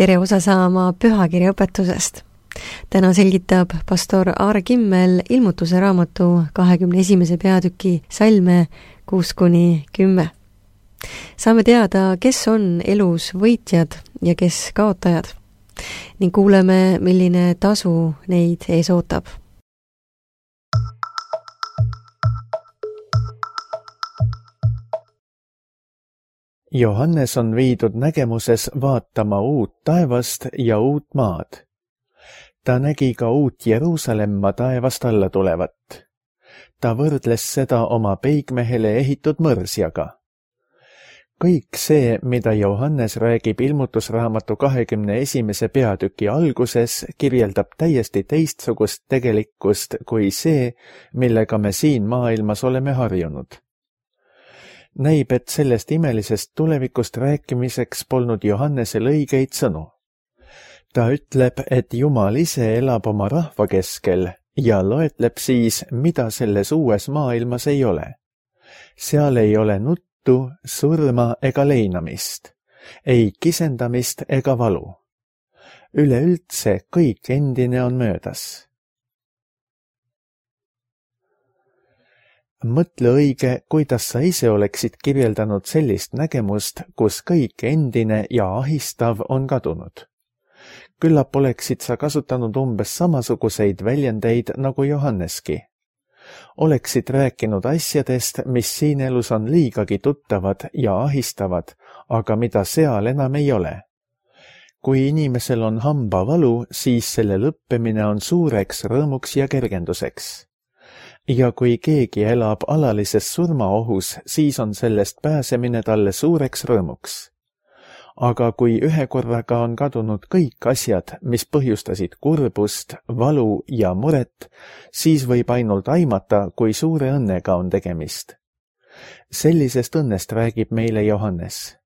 tere osa saama pühakirja õpetusest. Täna selgitab pastor Aare Kimmel ilmutuse raamatu 21. peatüki salme 6-10. Saame teada, kes on elus võitjad ja kes kaotajad ning kuuleme, milline tasu neid ees ootab. Johannes on viidud nägemuses vaatama uut taevast ja uut maad. Ta nägi ka uut Jeruusalemma taevast alla tulevat. Ta võrdles seda oma peigmehele ehitud mõrsjaga. Kõik see, mida Johannes räägib ilmutusraamatu 21. peatüki alguses, kirjeldab täiesti teistsugust tegelikkust kui see, millega me siin maailmas oleme harjunud. Näib, et sellest imelisest tulevikust rääkimiseks polnud Johannesel õigeid sõnu. Ta ütleb, et Jumal ise elab oma rahva keskel ja loetleb siis, mida selles uues maailmas ei ole. Seal ei ole nuttu, surma ega leinamist, ei kisendamist ega valu. Üleüldse kõik endine on möödas. Mõtle õige, kuidas sa ise oleksid kirjeldanud sellist nägemust, kus kõik endine ja ahistav on kadunud. Küllap oleksid sa kasutanud umbes samasuguseid väljendeid nagu Johanneski. Oleksid rääkinud asjadest, mis siin elus on liigagi tuttavad ja ahistavad, aga mida seal enam ei ole. Kui inimesel on hambavalu, siis selle lõppemine on suureks rõõmuks ja kergenduseks. Ja kui keegi elab alalises surmaohus, siis on sellest pääsemine talle suureks rõõmuks. Aga kui ühe korraga on kadunud kõik asjad, mis põhjustasid kurbust, valu ja muret, siis võib ainult aimata, kui suure õnnega on tegemist. Sellisest õnnest räägib meile Johannes.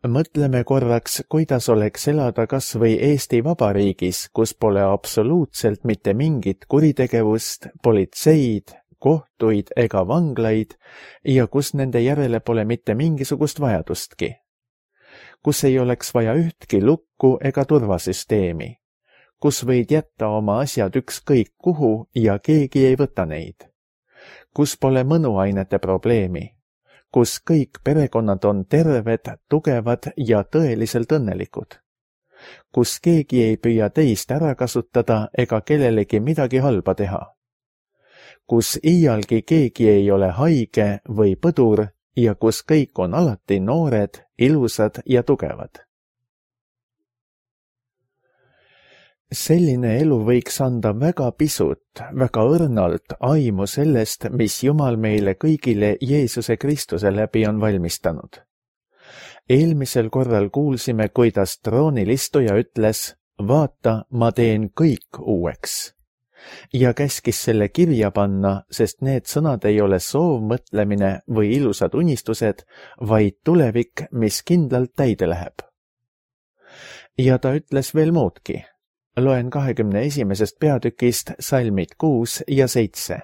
Mõtleme korraks, kuidas oleks elada kas või Eesti Vabariigis, kus pole absoluutselt mitte mingit kuritegevust, politseid, kohtuid ega vanglaid ja kus nende järele pole mitte mingisugust vajadustki. Kus ei oleks vaja ühtki lukku ega turvasüsteemi. Kus võid jätta oma asjad ükskõik kuhu ja keegi ei võta neid. Kus pole mõnuainete probleemi. Kus kõik perekonnad on terved, tugevad ja tõeliselt õnnelikud. Kus keegi ei püüa teist ära kasutada ega kellelegi midagi halba teha. Kus iialgi keegi ei ole haige või põdur ja kus kõik on alati noored, ilusad ja tugevad. Selline elu võiks anda väga pisut, väga õrnalt aimu sellest, mis Jumal meile kõigile Jeesuse Kristuse läbi on valmistanud. Eelmisel korral kuulsime, kuidas troonilistuja ütles, vaata, ma teen kõik uueks. Ja käskis selle kirja panna, sest need sõnad ei ole soovmõtlemine või ilusad unistused, vaid tulevik, mis kindlalt täide läheb. Ja ta ütles veel muudki. Loen 21. peatükist salmid 6 ja 7.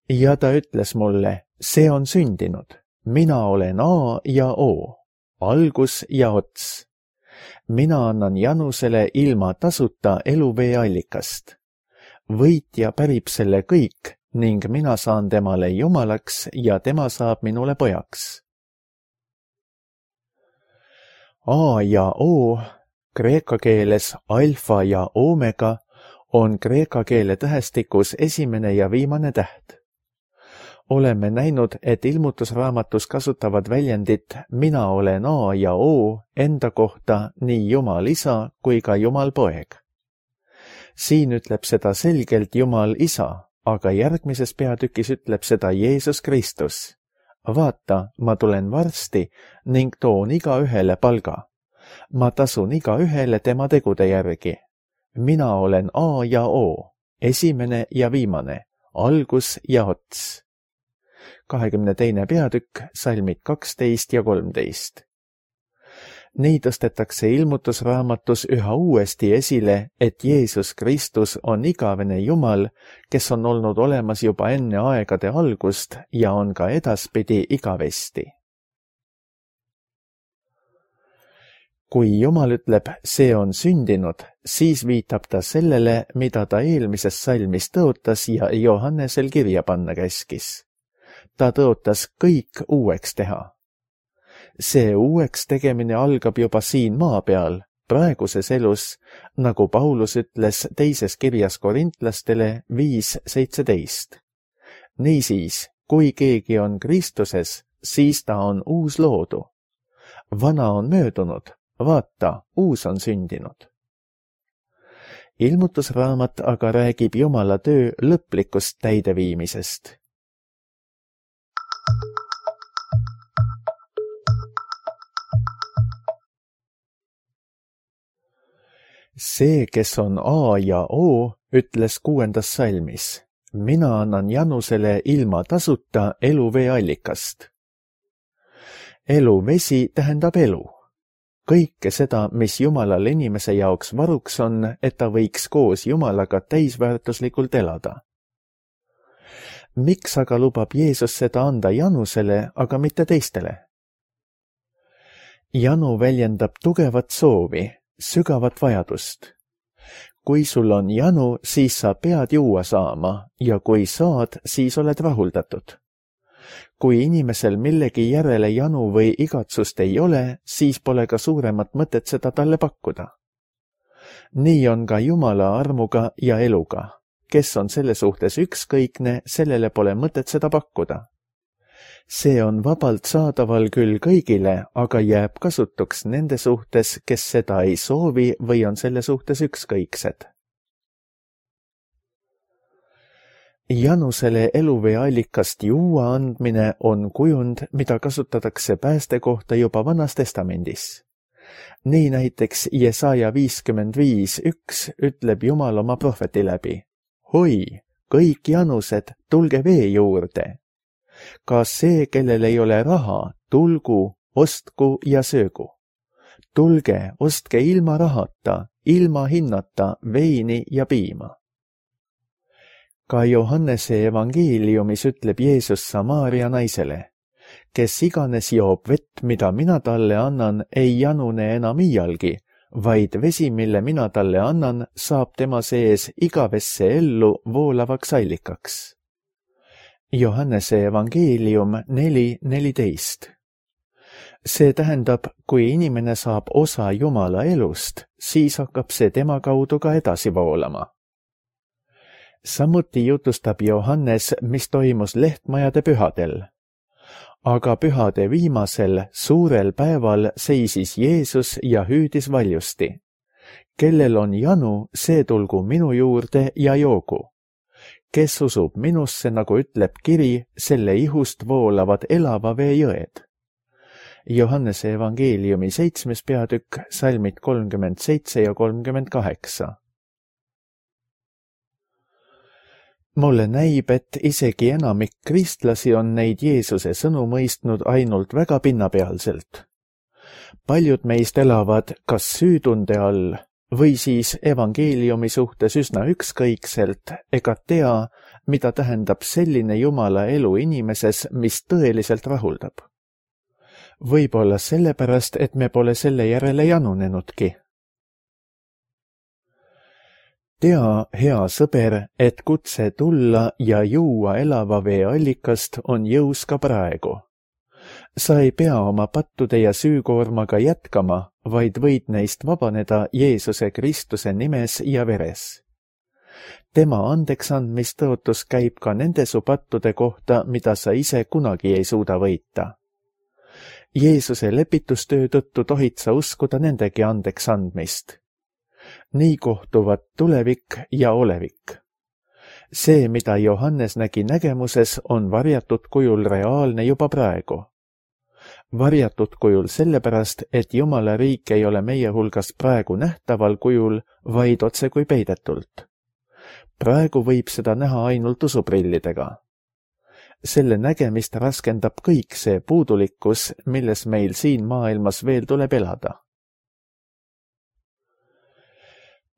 Ja ta ütles mulle, see on sündinud. Mina olen A ja O, algus ja ots. Mina annan Janusele ilma tasuta eluvee allikast. Võitja pärib selle kõik ning mina saan temale jumalaks ja tema saab minule pojaks. A ja O, kreeka keeles alfa ja omega, on kreeka keele tähestikus esimene ja viimane täht. Oleme näinud, et ilmutusraamatus kasutavad väljendit mina olen A ja O enda kohta nii Jumal Isa kui ka Jumal Poeg. Siin ütleb seda selgelt Jumal Isa, aga järgmises peatükis ütleb seda Jeesus Kristus. Vaata, ma tulen varsti ning toon igaühele palga. Ma tasun igaühele tema tegude järgi. Mina olen A ja O, esimene ja viimane, algus ja ots. 22. peatükk, salmid 12 ja 13. Nii tõstetakse ilmutusraamatus üha uuesti esile, et Jeesus Kristus on igavene Jumal, kes on olnud olemas juba enne aegade algust ja on ka edaspidi igavesti. kui Jumal ütleb, see on sündinud, siis viitab ta sellele, mida ta eelmises salmis tõotas ja Johannesel kirja panna käskis. Ta tõotas kõik uueks teha. See uueks tegemine algab juba siin maa peal, praeguses elus, nagu Paulus ütles teises kirjas korintlastele 5:17. Niisiis, kui keegi on Kristuses, siis ta on uus loodu. Vana on möödunud, vaata, uus on sündinud. Ilmutusraamat aga räägib Jumala töö lõplikust täideviimisest. See, kes on A ja O, ütles 6. salmis. Mina annan Janusele ilma tasuta eluvee allikast. Eluvesi tähendab elu. Kõike seda, mis Jumalal inimese jaoks varuks on, et ta võiks koos Jumalaga täisväärtuslikult elada. Miks aga lubab Jeesus seda anda Janusele, aga mitte teistele? Janu väljendab tugevat soovi, sügavat vajadust. Kui sul on janu, siis sa pead juua saama ja kui saad, siis oled rahuldatud. Kui inimesel millegi järele janu või igatsust ei ole, siis pole ka suuremat mõtet seda talle pakkuda. Nii on ka Jumala armuga ja eluga. Kes on selle suhtes ükskõikne, sellele pole mõtet seda pakkuda. See on vabalt saadaval küll kõigile, aga jääb kasutuks nende suhtes, kes seda ei soovi või on selle suhtes ükskõiksed. Janusele eluvee allikast juua andmine on kujund, mida kasutatakse pääste kohta juba Vanas Testamendis. Nii näiteks Jesaja 55:1 ütleb Jumal oma prohveti läbi. Hoi, kõik janused, tulge vee juurde. Ka see, kellel ei ole raha, tulgu, ostku ja söögu. Tulge, ostke ilma rahata, ilma hinnata veini ja piima. Ka Johannese evangeeliumis ütleb Jeesus Samaaria naisele, kes iganes joob vett, mida mina talle annan, ei janune enam iialgi, vaid vesi, mille mina talle annan, saab tema sees igavesse ellu voolavaks allikaks. Johannese evangeelium 4:14. See tähendab, kui inimene saab osa Jumala elust, siis hakkab see tema kaudu ka edasi voolama. Samuti jutustab Johannes, mis toimus lehtmajade pühadel. Aga pühade viimasel, suurel päeval seisis Jeesus ja hüüdis valjusti. Kellel on janu, see tulgu minu juurde ja joogu. Kes usub minusse, nagu ütleb kiri, selle ihust voolavad elava vee jõed. Johannese evangeeliumi 7. peatükk, salmid 37 ja 38. Mulle näib, et isegi enamik kristlasi on neid Jeesuse sõnu mõistnud ainult väga pinnapealselt. Paljud meist elavad kas süütunde all või siis evangeeliumi suhtes üsna ükskõikselt ega tea, mida tähendab selline Jumala elu inimeses, mis tõeliselt rahuldab. Võib-olla sellepärast, et me pole selle järele janunenudki. Tea, hea sõber, et kutse tulla ja juua elava vee allikast on jõus ka praegu. Sa ei pea oma pattude ja süükoormaga jätkama, vaid võid neist vabaneda Jeesuse Kristuse nimes ja veres. Tema andeksandmistõotus käib ka nende su pattude kohta, mida sa ise kunagi ei suuda võita. Jeesuse lepitustöö tõttu tohid sa uskuda nendegi andeksandmist. Nii kohtuvad tulevik ja olevik. See, mida Johannes nägi nägemuses, on varjatud kujul reaalne juba praegu. Varjatud kujul sellepärast, et Jumala riik ei ole meie hulgas praegu nähtaval kujul, vaid otsekui peidetult. Praegu võib seda näha ainult usuprillidega. Selle nägemist raskendab kõik see puudulikkus, milles meil siin maailmas veel tuleb elada.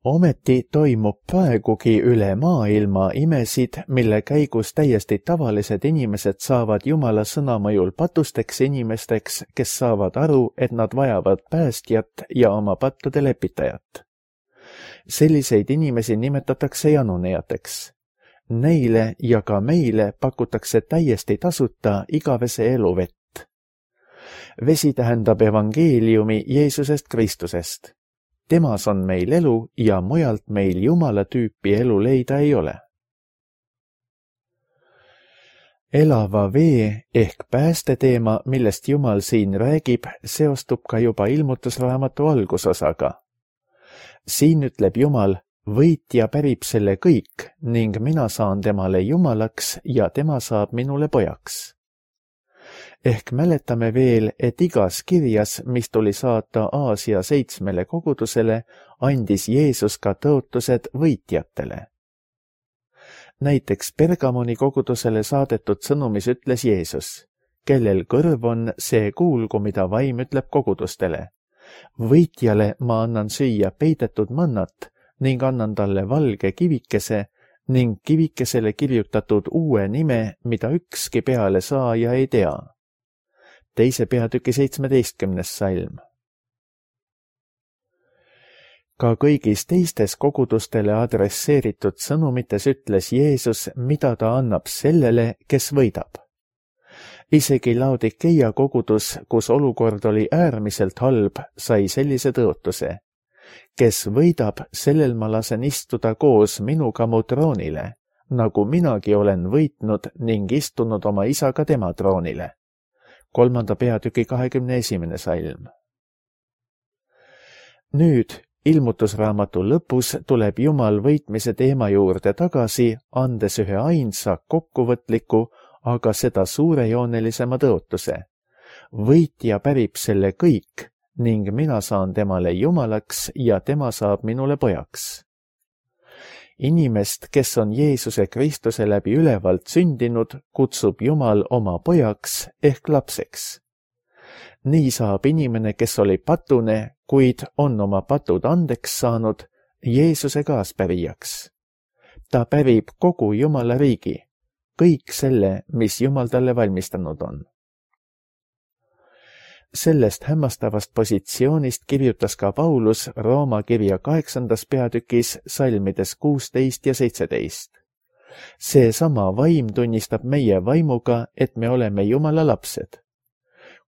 Ometi toimub praegugi üle maailma imesid, mille käigus täiesti tavalised inimesed saavad Jumala sõna mõjul patusteks inimesteks, kes saavad aru, et nad vajavad päästjat ja oma pattude lepitajat. Selliseid inimesi nimetatakse janunejateks. Neile ja ka meile pakutakse täiesti tasuta igavese elu vett. Vesi tähendab evangeeliumi Jeesusest Kristusest. Temas on meil elu ja mujalt meil Jumala tüüpi elu leida ei ole. Elava vee ehk päästeteema, millest Jumal siin räägib, seostub ka juba ilmutusraamatu algusosaga. Siin ütleb Jumal, võitja pärib selle kõik ning mina saan temale Jumalaks ja tema saab minule pojaks. Ehk mäletame veel, et igas kirjas, mis tuli saata Aasia 7 kogudusele, andis Jeesus ka tõotused võitjatele. Näiteks Pergamoni kogudusele saadetud sõnumis ütles Jeesus, kellel kõrv on, see kuulgu, mida vaim ütleb kogudustele. Võitjale ma annan süüa peidetud mannat ning annan talle valge kivikese ning kivikesele kirjutatud uue nime, mida ükski peale saaja ei tea. 2. peatüki 17. salm. Ka kõigis teistes kogudustele adresseeritud sõnumites ütles Jeesus, mida ta annab sellele, kes võidab. Isegi Laodikeia kogudus, kus olukord oli äärmiselt halb, sai sellise tõotuse. Kes võidab, sellel ma lasen istuda koos minuga mu troonile, nagu minagi olen võitnud ning istunud oma isaga tema troonile. 3. peatüki 21. salm. Nüüd, ilmutusraamatu lõpus tuleb Jumal võitmise teema juurde tagasi, andes ühe ainsa kokkuvõtliku, aga seda suurejoonelisema tõotuse. Võitja pärib selle kõik ning mina saan temale Jumalaks ja tema saab minule pojaks. Inimest, kes on Jeesuse Kristuse läbi ülevalt sündinud, kutsub Jumal oma pojaks ehk lapseks. Nii saab inimene, kes oli patune, kuid on oma patud andeks saanud, Jeesuse kaaspärijaks. Ta pärib kogu Jumala riigi, kõik selle, mis Jumal talle valmistanud on. Sellest hämmastavast positsioonist kirjutas ka Paulus Rooma kirja 8. peatükis salmides 16 ja 17. Seesama vaim tunnistab meie vaimuga, et me oleme Jumala lapsed.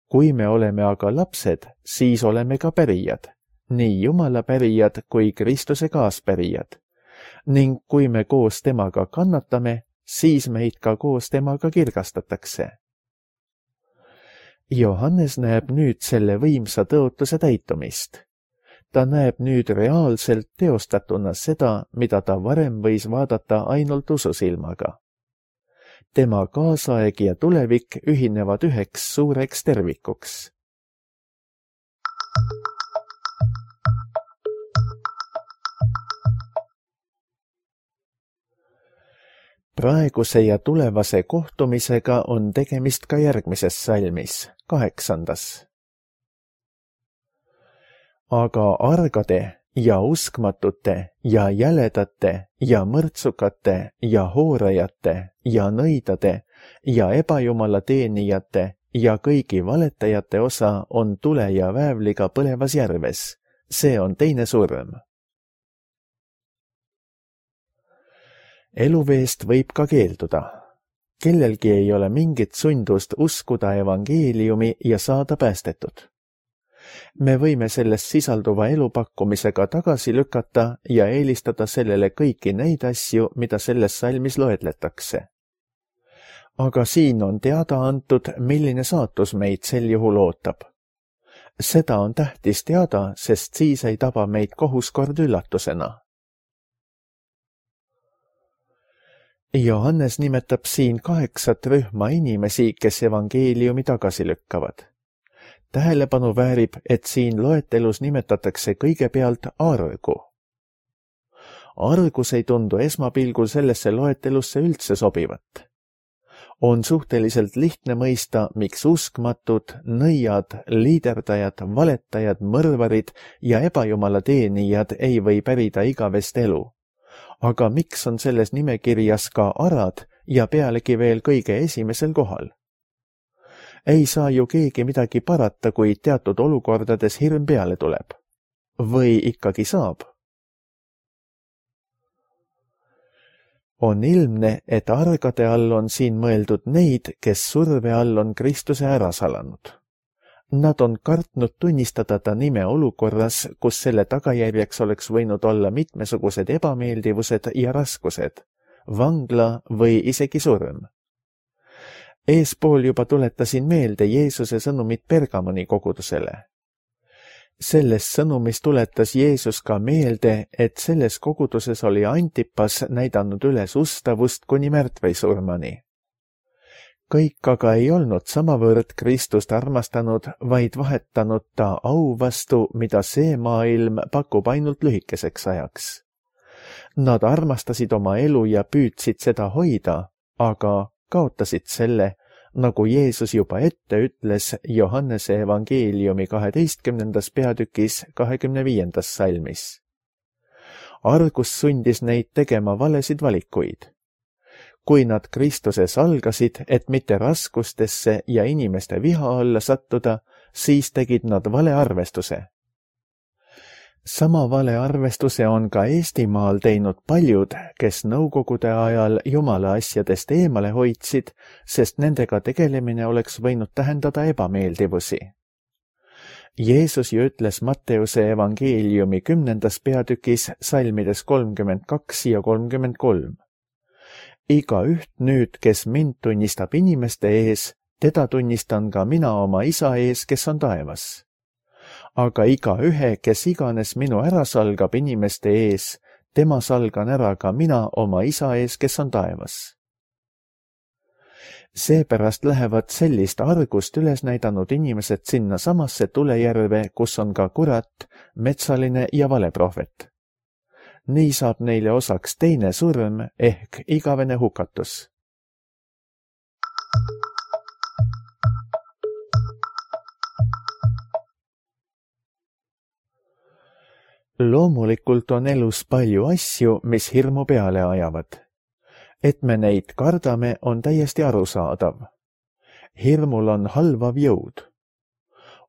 Kui me oleme aga lapsed, siis oleme ka pärijad, nii Jumala pärijad kui Kristuse kaaspärijad. Ning kui me koos temaga kannatame, siis meid ka koos temaga kirgastatakse. Johannes näeb nüüd selle võimsa tõotuse täitumist. Ta näeb nüüd reaalselt teostatuna seda, mida ta varem võis vaadata ainult ususilmaga. Tema kaasaeg ja tulevik ühinevad üheks suureks tervikuks. Praeguse ja tulevase kohtumisega on tegemist ka järgmises salmis, 8. Aga argade ja uskmatute ja jäledate ja mõrtsukate ja hoorajate ja nõidade ja ebajumala teenijate ja kõigi valetajate osa on tule ja väävliga põlevas järves. See on teine surm. Eluveest võib ka keelduda. Kellelgi ei ole mingit sundust uskuda evangeeliumi ja saada päästetud. Me võime selles sisalduva elupakkumisega tagasi lükata ja eelistada sellele kõiki neid asju, mida selles salmis loetletakse. Aga siin on teada antud, milline saatus meid sel juhul ootab. Seda on tähtis teada, sest siis ei taba meid kohuskord üllatusena. Johannes nimetab siin 8 rühma inimesi, kes evangeeliumi tagasi lükkavad. Tähelepanu väärib, et siin loetelus nimetatakse kõigepealt argu. Argus ei tundu esmapilgul sellesse loetelusse üldse sobivat. On suhteliselt lihtne mõista, miks uskmatud, nõiad, liiderdajad, valetajad, mõrvarid ja ebajumala teenijad ei või pärida igavest elu. Aga miks on selles nimekirjas ka arad ja pealegi veel kõige esimesel kohal? Ei saa ju keegi midagi parata, kui teatud olukordades hirm peale tuleb. Või ikkagi saab? On ilmne, et argade all on siin mõeldud neid, kes surve all on Kristuse ära salanud. Nad on kartnud tunnistada ta nime olukorras, kus selle tagajärjeks oleks võinud olla mitmesugused ebameeldivused ja raskused, vangla või isegi surm. Eespool juba tuletasin meelde Jeesuse sõnumit Pergamoni kogudusele. Selles sõnumis tuletas Jeesus ka meelde, et selles koguduses oli Antipas näidanud üles ustavust kuni märtväisurmani. Kõik aga ei olnud samavõrd Kristust armastanud, vaid vahetanud ta au vastu, mida see maailm pakub ainult lühikeseks ajaks. Nad armastasid oma elu ja püüdsid seda hoida, aga kaotasid selle, nagu Jeesus juba ette ütles Johannese evangeeliumi 12. peatükis 25. salmis. Argus sundis neid tegema valesid valikuid. Kui nad Kristuses algasid, et mitte raskustesse ja inimeste viha alla sattuda, siis tegid nad vale arvestuse. Sama vale arvestuse on ka Eestimaal teinud paljud, kes nõukogude ajal Jumala asjadest eemale hoidsid, sest nendega tegelemine oleks võinud tähendada ebameeldivusi. Jeesus ju ütles Matteuse evangeeliumi 10. peatükis salmides 32 ja 33. Igaüht nüüd, kes mind tunnistab inimeste ees, teda tunnistan ka mina oma isa ees, kes on taevas. Aga igaühe, kes iganes minu ära salgab inimeste ees, tema salgan ära ka mina oma isa ees, kes on taevas. Seepärast lähevad sellist argust üles näidanud inimesed sinna samasse tulejärve, kus on ka kurat, metsaline ja valeprohvet. Nii saab neile osaks teine surm ehk igavene hukatus. Loomulikult on elus palju asju, mis hirmu peale ajavad. Et me neid kardame, on täiesti arusaadav. Hirmul on halvav jõud.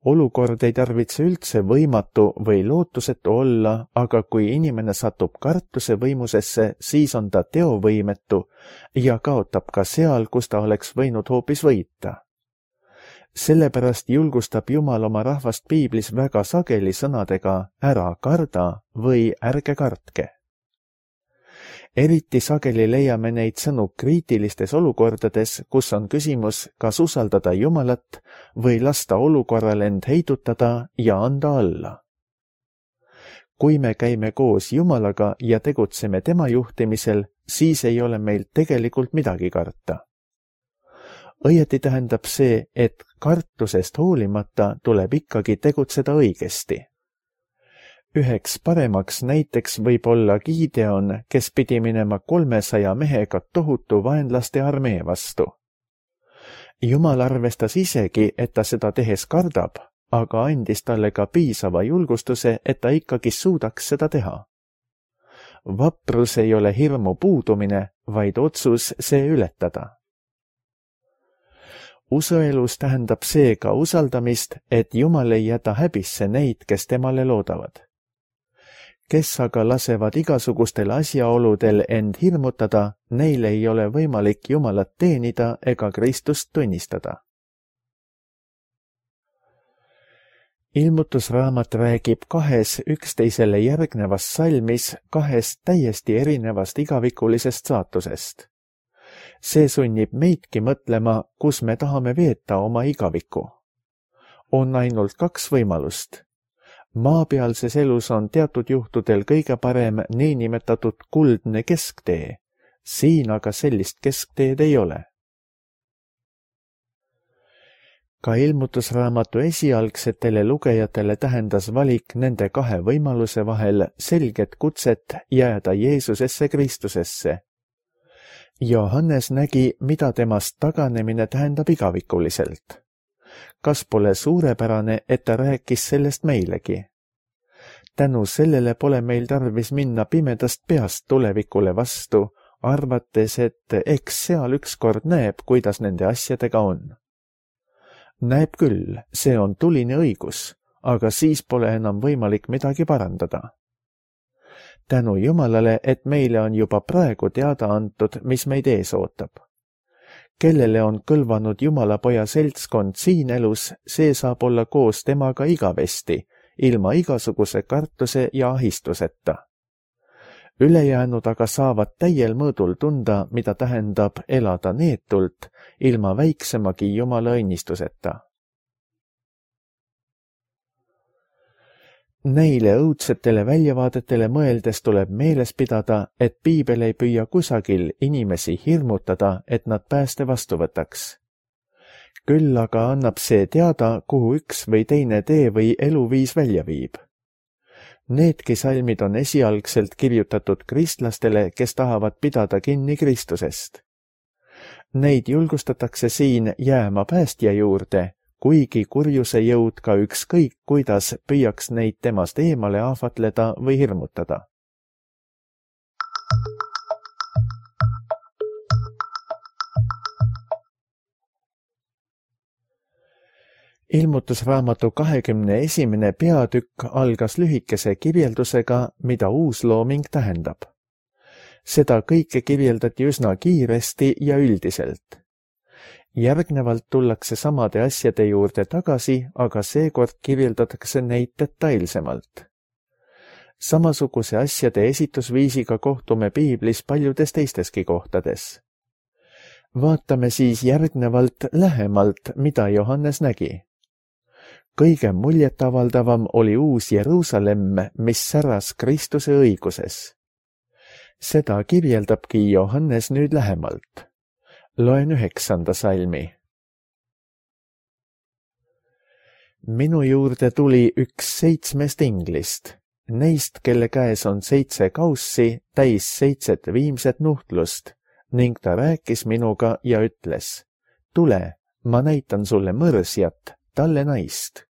Olukord ei tarvitse üldse võimatu või lootusetu olla, aga kui inimene satub kartuse võimusesse, siis on ta teovõimetu ja kaotab ka seal, kus ta oleks võinud hoopis võita. Sellepärast julgustab Jumal oma rahvast piiblis väga sageli sõnadega ära karda või ärge kartke. Eriti sageli leiame neid sõnu kriitilistes olukordades, kus on küsimus, kas usaldada Jumalat või lasta olukorral end heidutada ja anda alla. Kui me käime koos Jumalaga ja tegutseme tema juhtimisel, siis ei ole meil tegelikult midagi karta. Õieti tähendab see, et kartusest hoolimata tuleb ikkagi tegutseda õigesti. Üheks paremaks näiteks võib olla Gideon, kes pidi minema 300 mehega tohutu vaenlaste armee vastu. Jumal arvestas isegi, et ta seda tehes kardab, aga andis talle ka piisava julgustuse, et ta ikkagi suudaks seda teha. Vaprus ei ole hirmu puudumine, vaid otsus see ületada. Usuelus tähendab seega usaldamist, et Jumal ei jäta häbisse neid, kes temale loodavad. Kes aga lasevad igasugustel asjaoludel end hirmutada, neil ei ole võimalik Jumalat teenida ega Kristust tunnistada. Ilmutusraamat räägib 2 üksteisele järgnevas salmis 2 täiesti erinevast igavikulisest saatusest. See sunnib meidki mõtlema, kus me tahame veeta oma igaviku. On ainult 2 võimalust. Maapealses elus on teatud juhtudel kõige parem niinimetatud kuldne kesktee. Siin aga sellist keskteed ei ole. Ka ilmutusraamatu esialgsetele lugejatele tähendas valik nende 2 võimaluse vahel selget kutset jääda Jeesusesse Kristusesse. Johannes nägi, mida temast taganemine tähendab igavikuliselt. Kas pole suurepärane, et ta rääkis sellest meilegi? Tänu sellele pole meil tarvis minna pimedast peast tulevikule vastu, arvates, et eks seal ükskord näeb, kuidas nende asjadega on. Näeb küll, see on tuline õigus, aga siis pole enam võimalik midagi parandada. Tänu Jumalale, et meile on juba praegu teada antud, mis meid ees ootab. Kellele on kõlvanud Jumala poja seltskond siin elus, see saab olla koos temaga igavesti, ilma igasuguse kartuse ja ahistuseta. Ülejäänud aga saavad täiel mõõdul tunda, mida tähendab elada neetult, ilma väiksemagi Jumala õnnistuseta. Neile õudsetele väljavaadetele mõeldes tuleb meeles pidada, et piibel ei püüa kusagil inimesi hirmutada, et nad pääste vastu võtaks. Küll aga annab see teada, kuhu üks või teine tee või eluviis välja viib. Needki salmid on esialgselt kirjutatud kristlastele, kes tahavad pidada kinni Kristusest. Neid julgustatakse siin jääma päästja juurde, kuigi kurjuse jõud ka ükskõik, kuidas püüaks neid temast eemale ahvatleda või hirmutada. Ilmutusraamatu 21. peatükk algas lühikese kirjeldusega, mida uuslooming tähendab. Seda kõike kirjeldati üsna kiiresti ja üldiselt. Järgnevalt tullakse samade asjade juurde tagasi, aga seekord kirjeldatakse neid detailsemalt. Samasuguse asjade esitusviisiga kohtume piiblis paljudes teisteski kohtades. Vaatame siis järgnevalt lähemalt, mida Johannes nägi. Kõige muljetavaldavam oli uus Jeruusalemm, mis säras Kristuse õiguses. Seda kirjeldabki Johannes nüüd lähemalt. Loen 9. salmi. Minu juurde tuli üks 7 inglist, neist, kelle käes on 7 kaussi, täis 7 viimset nuhtlust, ning ta rääkis minuga ja ütles, tule, ma näitan sulle mõrsjat, talle naist.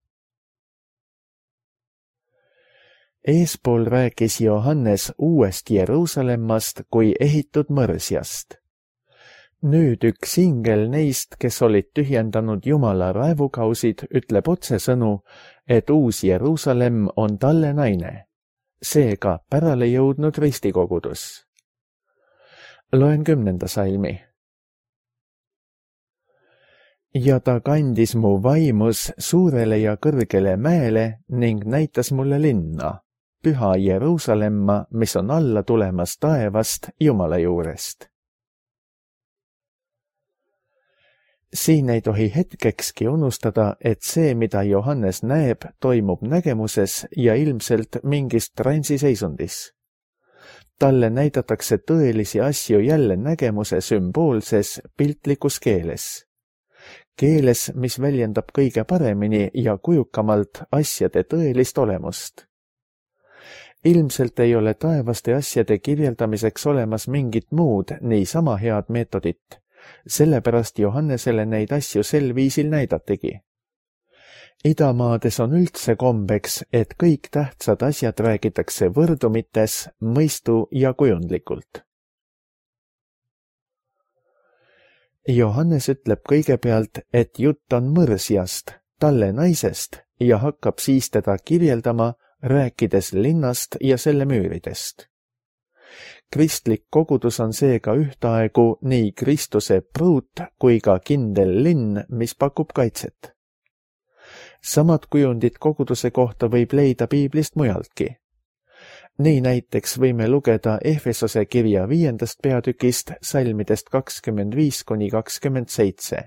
Eespool rääkis Johannes uuest Jeruusalemmast kui ehitud mõrsjast. Nüüd üks ingel neist, kes olid tühjendanud Jumala raevukausid, ütleb otsesõnu, et uus Jeruusalemm on talle naine, seega pärale jõudnud ristikogudus. Loen 10. salmi. Ja ta kandis mu vaimus suurele ja kõrgele mäele ning näitas mulle linna, püha Jeruusalemma, mis on alla tulemas taevast Jumala juurest. Siin ei tohi hetkekski unustada, et see, mida Johannes näeb, toimub nägemuses ja ilmselt mingis transiseisundis. Talle näidatakse tõelisi asju jälle nägemuse sümboolses piltlikus keeles. Keeles, mis väljendab kõige paremini ja kujukamalt asjade tõelist olemust. Ilmselt ei ole taevaste asjade kirjeldamiseks olemas mingit muud niisama head meetodit, sellepärast Johannesele neid asju sel viisil näidatigi. Idamaades on üldse kombeks, et kõik tähtsad asjad räägitakse võrdumites, mõistu ja kujundlikult. Johannes ütleb kõigepealt, et jutt on mõrsjast, talle naisest, ja hakkab siis teda kirjeldama, rääkides linnast ja selle müüridest. Kristlik kogudus on seega ühtaegu nii Kristuse pruut kui ka kindel linn, mis pakub kaitset. Samad kujundid koguduse kohta võib leida piiblist mujaltki. Nii näiteks võime lugeda Efesose kirja 5. peatükist salmidest 25–27.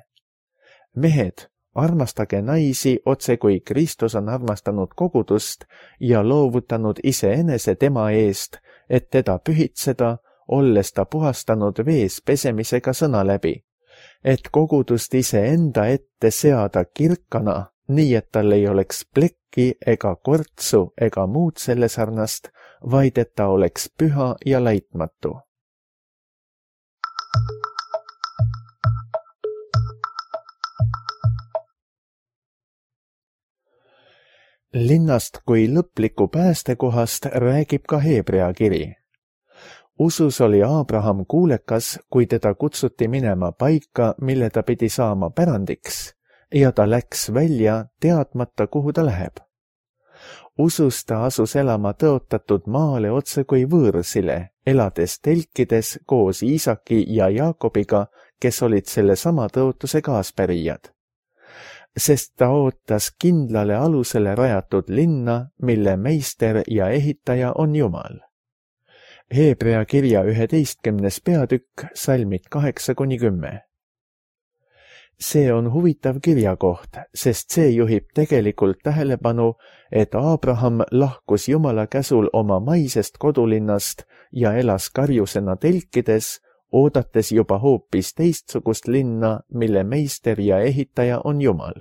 Mehed, armastage naisi otse kui Kristus on armastanud kogudust ja loovutanud iseenese tema eest, et teda pühitseda, olles ta puhastanud vees pesemisega sõna läbi, et kogudust iseenda ette seada kirkana, nii et tal ei oleks plekki ega kortsu ega muud selle sarnast, vaid et ta oleks püha ja laitmatu. Linnast kui lõpliku päästekohast räägib ka Hebrea kiri. Usus oli Abraham kuulekas, kui teda kutsuti minema paika, mille ta pidi saama pärandiks, ja ta läks välja, teadmata, kuhu ta läheb. Usus ta asus elama tõotatud maale otse kui võõrsile, elades telkides koos Iisaki ja Jaakobiga, kes olid selle sama tõotuse kaaspärijad. Sest ta ootas kindlale alusele rajatud linna, mille meister ja ehitaja on Jumal. Hebrea kirja 11. peatükk, salmid 8-10. See on huvitav kirjakoht, sest see juhib tegelikult tähelepanu, et Abraham lahkus Jumala käsul oma maisest kodulinnast ja elas karjusena telkides, oodates juba hoopis teistsugust linna, mille meister ja ehitaja on Jumal.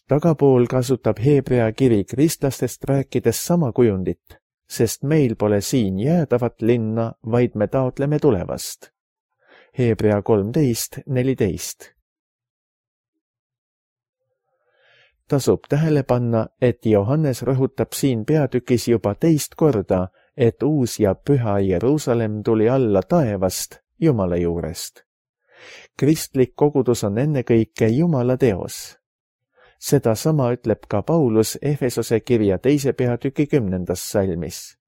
Tagapool kasutab Hebrea kiri kristlastest rääkides sama kujundit, sest meil pole siin jäädavat linna, vaid me taotleme tulevast. Hebrea 13:14. Tasub tähele panna, et Johannes rõhutab siin peatükis juba teist korda, et uus ja püha Jeruusalemm tuli alla taevast, Jumala juurest. Kristlik kogudus on ennekõike Jumala teos. Seda sama ütleb ka Paulus Efesose kirja 2. peatüki 10. salmis.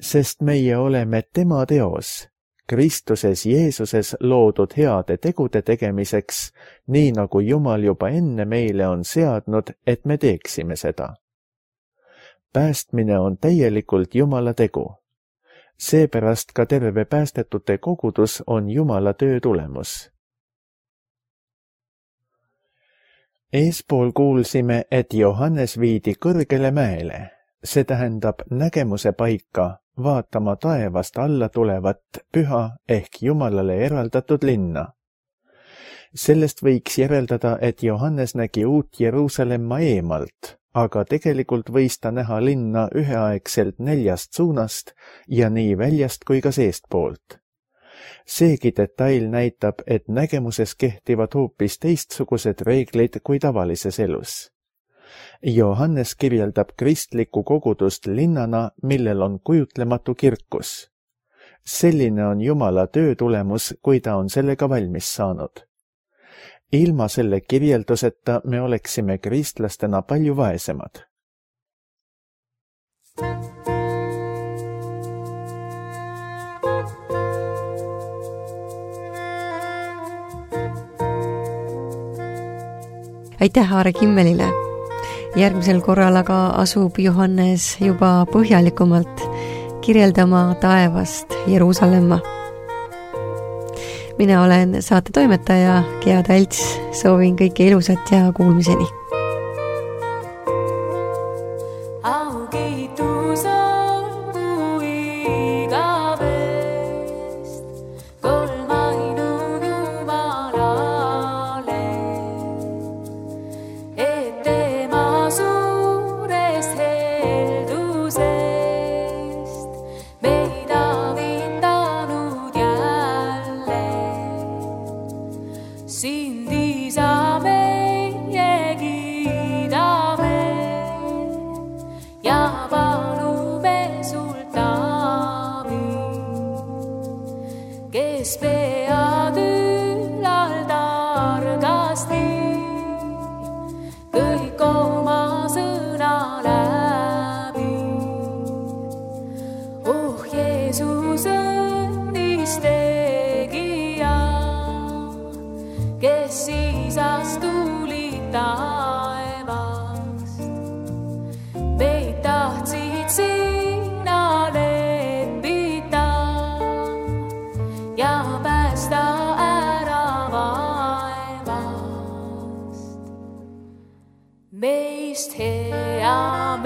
Sest meie oleme tema teos, Kristuses Jeesuses loodud heade tegude tegemiseks, nii nagu Jumal juba enne meile on seadnud, et me teeksime seda. Päästmine on täielikult Jumala tegu. Seepärast ka terve päästetute kogudus on Jumala töö tulemus. Eespool kuulsime, et Johannes viidi kõrgele mäele, see tähendab nägemuse paika, vaatama taevast alla tulevat püha ehk Jumalale eraldatud linna. Sellest võiks järeldada, et Johannes nägi uut Jeruusalemma eemalt, aga tegelikult võis ta näha linna üheaegselt 4 suunast ja nii väljast kui ka seestpoolt. Seegi detail näitab, et nägemuses kehtivad hoopis teistsugused reeglid kui tavalises elus. Johannes kirjeldab kristlikku kogudust linnana, millel on kujutlematu kirkus. Selline on Jumala töö tulemus, kui ta on sellega valmis saanud. Ilma selle kirjelduseta me oleksime kristlastena palju vaesemad. Aitäh Aare Kimmelile! Järgmisel korral aga asub Johannes juba põhjalikumalt kirjeldama taevast Jeruusalemma. Mina olen saate toimetaja Gea Talts, soovin kõike ilusat ja kuulmiseni! Meist hea